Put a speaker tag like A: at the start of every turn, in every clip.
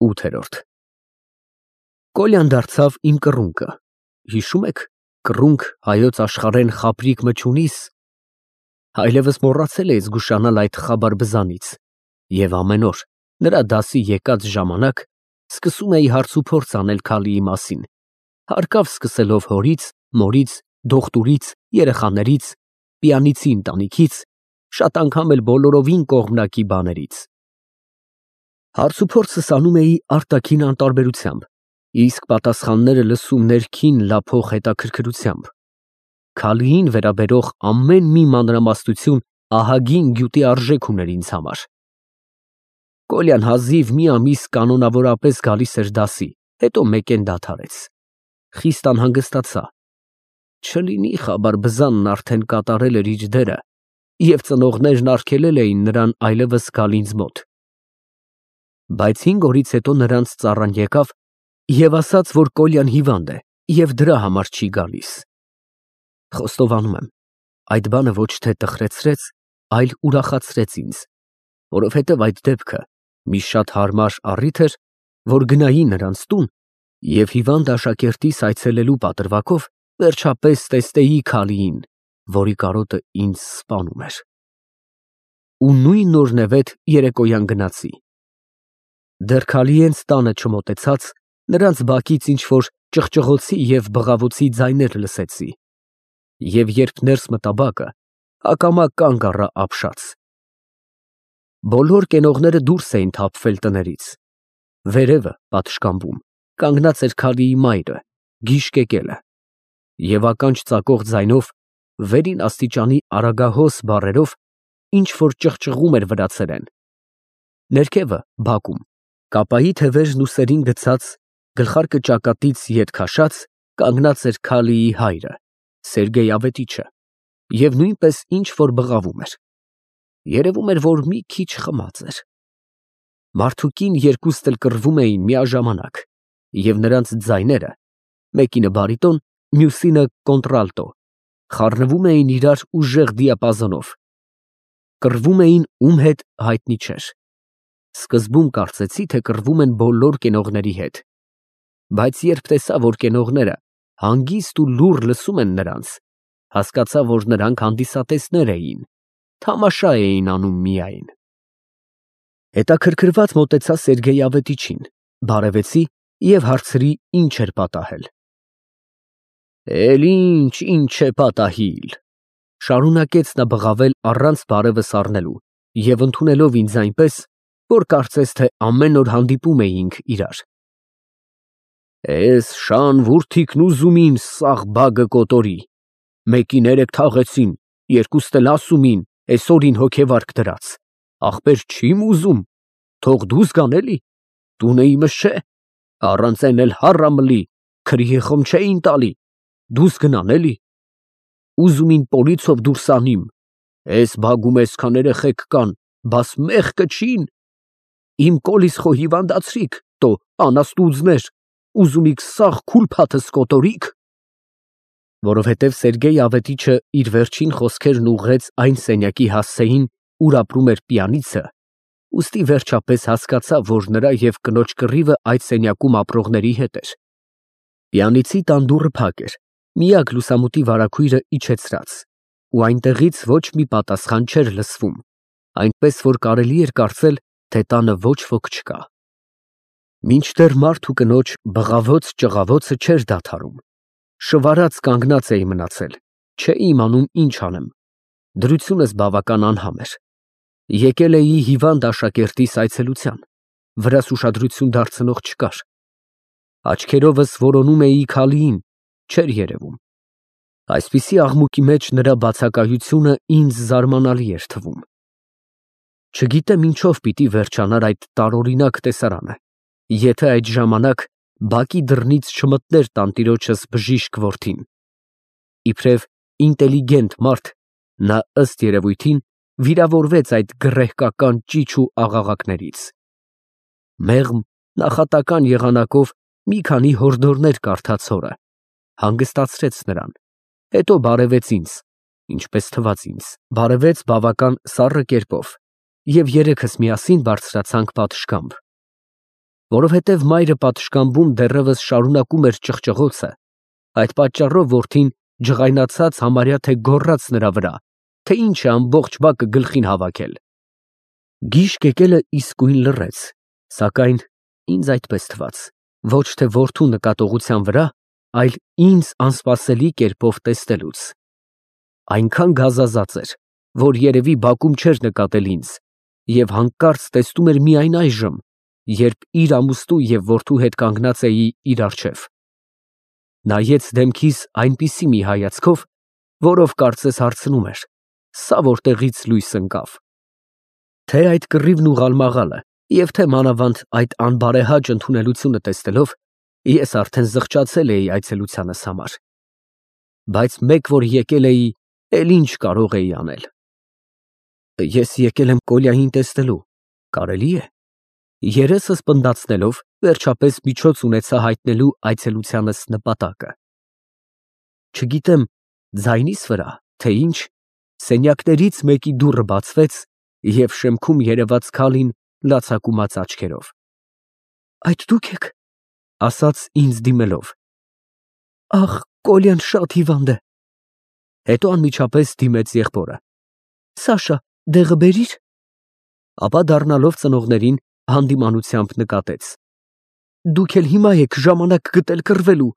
A: 8 Կոլյան դարձավ իմ կռունկը, հիշում եք, կռունկ հայոց աշխարհեն խաբրիկ մչունիս, այլևս մոռացել էի զգուշանալ այդ խաբար բզանից, և ամեն օր, նրա դասի եկած ժամանակ, սկսում էի հարց ու փորձ անել Քալիի մասին, հարկավ սկսելով հորից, մորից, դողտուրից, երեխաներից, պիանիցի ընտանիքից, շատ անգամ էլ բոլորովին կողմնակի բաներից։ Հարց ու փորձս անում էի արտաքին անտարբերությամբ, իսկ պատասխանները լսում ներքին լափող հետաքրքրությամբ։ Քալիին վերաբերող ամեն մի մանրամասնություն ահագին գյուտի արժեք ուներ ինձ համար։ Կոլյան հազիվ մի ամիս կանոնավորապես գալիս էր դասի, հետո մեկեն դադարեց։ Խիստ անհանգստացա։ Չլինի խաբար բզանն արդեն կատարել էր իր դերը, և ծնողներն արգելել էին նրան այլևս գալ ինձ մոտ։ Բայց 5 օրից հետո նրանց ծառան եկավ և ասաց, որ Կոլյան հիվանդ է և դրա համար չի գալիս։ Խոստովանում եմ, այդ բանը ոչ թե տխրեցրեց, այլ ուրախացրեց ինձ, որովհետև այդ դեպքը մի շատ հարմար առիթ էր, որ գնայի նրանց տուն և հիվանդ աշակերտիս այցելելու պատրվակով վերջապես տեսնեի Քալիին, որի կարոտը ինձ սպանում էր։ Ու նույն օրնևեթ երեկոյան գնացի։ Դեռ Քալիենց տանը չմոտեցած, նրանց բակից ինչ-որ ճղճղոցի և բղավոցի ձայներ լսեցի, և երբ ներս մտա բակը, ակամա կանգ առա ապշած։ Բոլոր կենողները դուրս էին թափվել տներից։ Վերևը, պատշգամբում, կանգնած էր Քալիի մայրը, գիշկեկելը, և ականջ ծակող ձայնով, վերին աստիճանի արագահոս բառերով ինչ֊որ ճղճղում էր վրացերեն։ Ներքևը, բակում, կապայի թևերն ուսերին գցած, գլխարկը ճակատից ետ քաշած, կանգնած էր Քալիի հայրը, Սերգեյ Ավետիչը, և նույնպես ինչ֊որ բղավում էր։ Երևում էր, որ մի քիչ խմած էր։ Մարդուկին երկուստ էլ կռվում էին միաժամանակ, և նրանց ձայները, մեկինը բարիտոն, մյուսինը կոնտրալտո, խառնվում էին իրար ուժեղ դիապազոնով։ Կռվում էին ում հետ հայտնի չէր։ Սկզբում կարծեցի, թե կռվում են բոլոր կենողների հետ, բայց երբ տեսա, որ կենողները հանգիստ ու լուռ լսում են նրանց, հասկացա, որ նրանք հանդիսատեսներ էին, թամաշա էին անում միայն։ Հետաքրքրված մոտեցա Սերգեյ Ավետիչին, բարևեցի և հարցրի, ինչ էր պատահել։ Ինչ է պատահիլ, շարունակեց նա բղավել առանց բարևս առնելու և ընդունելով ինձ այնպես, որ կարծես թե ամեն օր հանդիպում էինք իրար։ Էս շան որդիքն ուզում ին սաղ բագը կոտորի, մեկին երեկ թաղեցին, երկուստ էլ ասում ին, էսօրին հոգեվարք դրած, ախպեր չիմ ուզում, թող դուս գան էլի, տունը իմս չէ, առանց են էլ հառամլի, քրիխում չէին տալի, դուս գնան էլի, ուզում ին պոլիցով դուրս անիմ, էս բագում էսքան երեխեք կան, բաս մեղկը չին, իմ կոլիս խո հիվանդացրիք, տո անաստուձներ, ուզում իք սաղ քուլփաթս կոտորիք։ Որովհետև Սերգեյ Ավետիչը իր վերջին խոսքերն ուղղեց այն սենյակի հասցեին, ուր ապրում էր պիանիցը, ուստի վերջապես հասկացա, որ նրա և կնոջ կռիվը այդ սենյակում ապրողների հետ էր։ Պիանիցի տան դուռը փակ էր, միակ լուսամուտի վարագույրը իջեցրած, ու այնտեղից ոչ մի պատասխան չէր լսվում, այնպես որ կարելի էր կարծել, թե տանը ոչ ոք չկա։ Մինչդեռ մարդ ու կնոջ բղավոց֊ճղավոցը չէր դադարում, շվարած կանգնած էի մնացել, չէի իմանում ինչ անեմ, դրությունս բավական անհամ էր։ Եկել էի հիվանդ աշակերտիս այցելության, վրաս ուշադրություն դարձնող չկար։ Աչքերովս որոնում էի Քալիին, չէր երևում։ Այսպիսի աղմուկի մեջ նրա բացակայությունը ինձ զարմանալի էր թվում։ Չգիտեմ ինչով պիտի վերջանար այդ տարօրինակ տեսարանը, եթե այդ ժամանակ բակի դռնից չմտներ տանտիրոջս բժիշկ որդին։ Իբրև ինտելիգենտ մարդ, նա ըստ երևույթին վիրավորվեց այդ գռեհկական ճիչ ու աղաղակներից։ Մեղմ, նախատական եղանակով մի քանի հորդորներ կարդաց հորը, հանգստացրեց նրան, հետո բարևեց ինձ, ինչպես թվաց ինձ, բարևեց բավական սառը կերպով, և երեքս միասին բարձրացանք պատշգամբ։ Որովհետև մայրը պատշգամբում դեռևս շարունակում էր ճղճղոցը, այդ պատճառով որդին ջղայնացած համարյա թե գոռաց նրա վրա, թե ինչ է ամբողջ բակը գլխին հավաքել։ Գիշկ եկելը իսկույն լռեց, սակայն ինձ այդպես թվաց, ոչ թե որդու նկատողության վրա, այլ ինձ անսպասելի կերպով տեսնելուց։ Այնքան գազազած էր, որ երևի բակում չէր նկատել ինձ, և հանկարծ տեսնում էր միայն այժմ, երբ իր ամուսնու և որդու հետ կանգնած էի իր առջև։ Նայեց դեմքիս այնպիսի մի հայացքով, որով կարծես հարցնում էր. «Սա որտեղից լույս ընկավ»։ Թե այդ կռիվն ու ղալմաղալը, և թե մանավանդ այդ անբարեհաճ ընդունելությունը տեսնելով, ես արդեն զղջացել էի այցելությանս համար։ Բայց մեկ որ եկել էի, էլ ինչ կարող էի անել։ Ես եկել եմ Կոլյային տեսնելու, կարելի է։ Երեսս պնդացնելով, վերջապես միջոց ունեցա հայտնելու այցելությանս նպատակը։ Չգիտեմ ձայնիս վրա, թե ինչ, սենյակներից մեկի դուռը բացվեց, և շեմքում երևաց Քալին լացակումած աչքերով։ «Այդ դուք եք», ասաց ինձ դիմելով։ «Ախ, Կոլյան շատ հիվանդ է»։ Հետո անմիջապես դիմեց եղբորը. «Սաշա, դեղը բերիր»։ Ապա դառնալով ծնողներին հանդիմանությամբ նկատեց. «Դուք էլ հիմա եք ժամանակ գտել կռվելու»։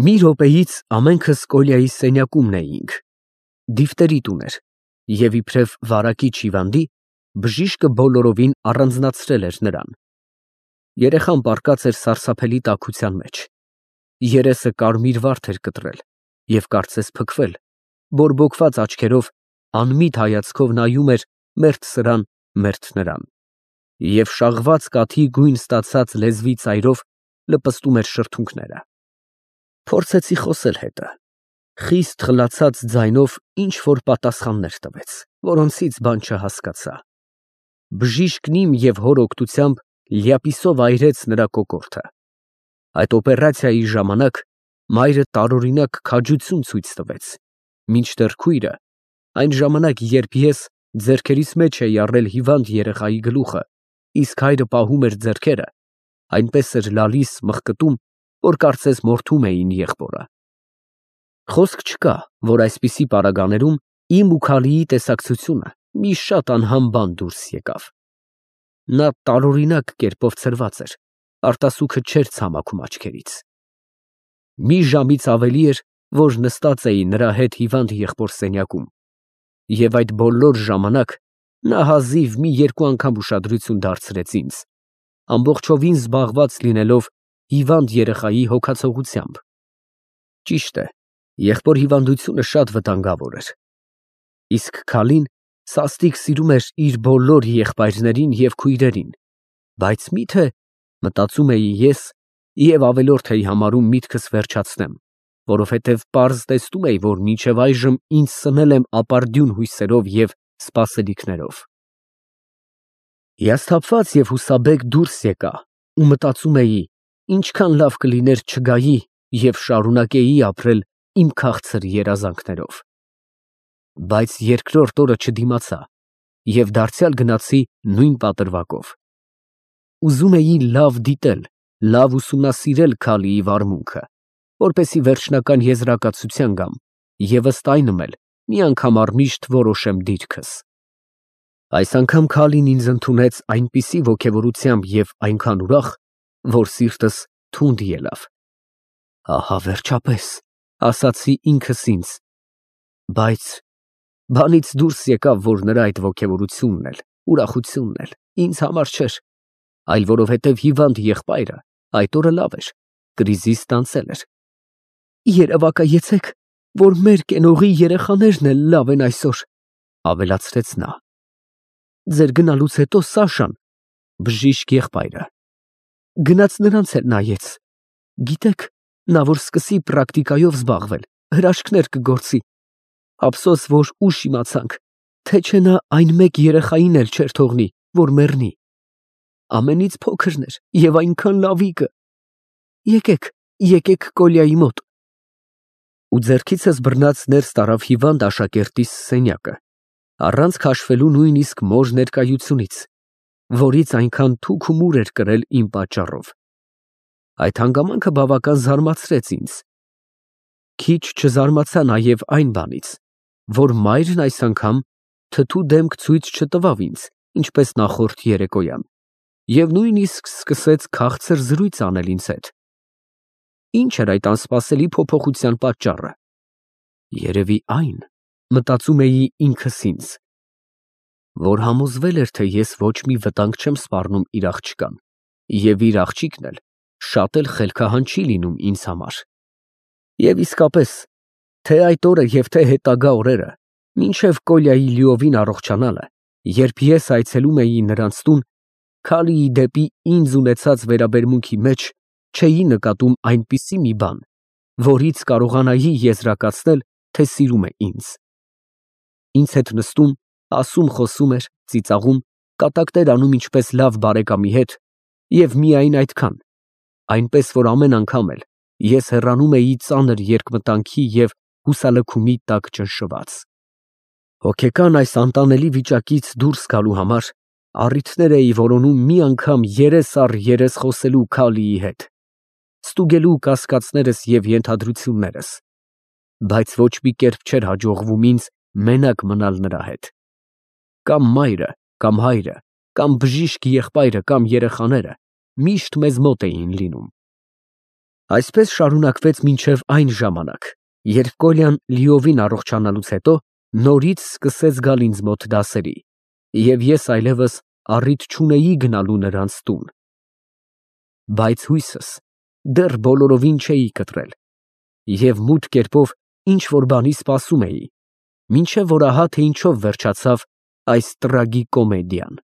A: Մի րոպեից ամենքս Կոլյայի սենյակումն էինք։ Դիֆտերիտ ուներ, և իբրև վարակիչ հիվանդի, բժիշկը բոլորովին առանձնացրել էր նրան։ Երեխան պառկած էր սարսափելի տաքության մեջ։ Երեսը կարմիր վարդ էր կտրել և կարծես փքվել, բորբոքված աչքերով, անմիտ հայացքով նայում էր մերթ սրան, մերթ նրան, և շաղված կաթի գույն ստացած լեզվի ծայրով լպստում էր շրթունքները։ Փորձեցի խոսել հետը, խիստ խլացած ձայնով ինչ֊որ պատասխաններ տվեց, որոնցից բան չհասկացա։ Բժիշկն իմ և հոր օգնությամբ լյապիսով այրեց նրա կոկորդը։ Այդ օպերացիայի ժամանակ մայրը տարօրինակ քաջություն ցույց տվեց, մինչդեռ քույրը, այն ժամանակ, երբ ես ձեռքերիս մեջ էի առել հիվանդ երեխայի գլուխը, իսկ հայրը պահում էր ձեռքերը, այնպես էր լալիս մղկտում, որ կարծես մորթում էին եղբորը։ Խոսք չկա, որ այսպիսի պարագաներում իմ ու Քալիի տեսակցությունը մի շատ անհամ բան դուրս եկավ։ Նա տարօրինակ կերպով ցրված էր, արտասուքը չէր ցամաքում աչքերից։ Մի ժամից ավելի էր, որ նստած էի նրա հետ հիվանդ եղբոր սենյակում, և այդ բոլոր ժամանակ նա հազիվ մի երկու անգամ ուշադրություն դարձրեց ինձ, ամբողջովին զբաղված լինելով հիվանդ երեխայի հոգացողությամբ։ Ճիշտ է, եղբոր հիվանդությունը շատ վտանգավոր էր, իսկ Քալին սաստիկ սիրում էր իր բոլոր եղբայրներին և քույրերին, բայց մի՞թե, մտածում էի ես, և ավելորդ էի համարում միտքս վերջացնեմ, որովհետև պարզ տեսնում էի, որ մինչև այժմ ինձ սնել եմ ապարդյուն հույսերով և սպասելիքներով։ Հիասթափված և հուսաբեկ դուրս եկա ու մտածում էի, ինչքան լավ կլիներ չգայի և շարունակեի ապրել իմ քաղցր երազանքներով։ Բայց երկրորդ օրը չդիմացա և դարձյալ գնացի նույն պատրվակով։ Ուզում էի լավ դիտել, լավ ուսումնասիրել Քալիի վարմունքը, որպեսզի վերջնական եզրակացության գամ և ըստ այնմ էլ մի անգամ առմիշտ որոշեմ դիրքս։ Այս անգամ Քալին ինձ ընդունեց այնպիսի ոգևորությամբ և այնքան ուրախ, որ սիրտս թունդ ելավ։ Ահա վերջապես, ասացի ինքս ինձ, բայց բանից դուրս եկավ, որ նրա այդ ոգևորությունն էլ, ուրախությունն էլ ինձ համար չէր, այլ որովհետև հիվանդ եղբայրը այդ օրը լավ էր, կրիզից տանցել էր։ Երևակայեցեք, որ մեր կենողի երեխաներն էլ լավ են այսօր, ավելացրեց նա։ Ձեր գնալուց հետո Սաշան, բժիշկ եղբայրը, գնաց նրանց էլ նայեց։ Գիտեք, նա որ սկսի պրակտիկայով զբաղվել, հրաշքներ կգործի։ Ափսոս, որ ուշ իմացանք, թե չէ նա այն մեկ երեխային էլ չէր թողնի, որ մեռնի։ Ամենից փոքրն էր և այնքան լավիկը։ Եկեք Կոլյայի մոտ։ Ու ձեռքիցս բռնած ներս տարավ հիվանդ աշակերտիս սենյակը, առանց քաշվելու նույնիսկ մոր ներկայությունից, որից այնքան թուք ու մուր էր կրել իմ պատճառով։ Այդ հանգամանքը բավական զարմացրեց ինձ։ Քիչ չզարմացա նաև այն բանից, որ մայրն այս անգամ թթու դեմք ցույց չտվավ ինձ, ինչպես նախորդ երեկոյան, և նույնիսկ սկսեց քաղցր զրույց անել ինձ հետ։ Ինչ էր այդ անսպասելի փոփոխության պատճառը։ Երևի այն, մտածում էի ինքս ինձ, որ համոզվել էր, թե ես ոչ մի վտանգ չեմ սպառնում իր աղջկան, և իր աղջիկն էլ շատ էլ խելքահան չի լինում ինձ համար։ Եվ իսկապես, թե այդ օրը և թե հետագա օրերը, մինչև Կոլյայի լիովին առողջանալը, երբ ես այցելում էի նրանց տուն, Քալիի դեպի ինձ ունեցած վերաբերմունքի մեջ չէի նկատում այնպիսի մի բան, որից կարողանայի եզրակացնել, թե սիրում է ինձ։ Ինձ հետ նստում, ասում֊խոսում էր, ծիծաղում, կատակներ անում ինչպես լավ բարեկամի հետ, և միայն այդքան, այնպես որ ամեն անգամ էլ ես հեռանում էի ծանր երկմտանքի և հուսալքումի տակ ճնշված։ Հոգեկան այս անտանելի վիճակից դուրս գալու համար առիթներ էի որոնում մի անգամ երես առ երես խոսելու Քալիի հետ, ստուգելու կասկածներս և ենթադրություններս, բայց ոչ մի կերպ չէր հաջողվում ինձ մենակ մնալ նրա հետ։ Կամ մայրը, կամ հայրը, կամ բժիշկ եղբայրը, կամ երեխաները միշտ մեզ մոտ էին լինում։ Այսպես շարունակվեց մինչև այն ժամանակ, երբ Կոլյան լիովին առողջանալուց հետո նորից սկսեց գալ ինձ մոտ դասերի, և ես այլևս առիթ չունեի գնալու նրանց տուն։ Բայց հույսս դեռ բոլորովին չէի կտրել, և մութ կերպով ինչ֊որ բանի սպասում էի, մինչև որ ահա թե ինչով վերջացավ այս տրագիկոմեդիան։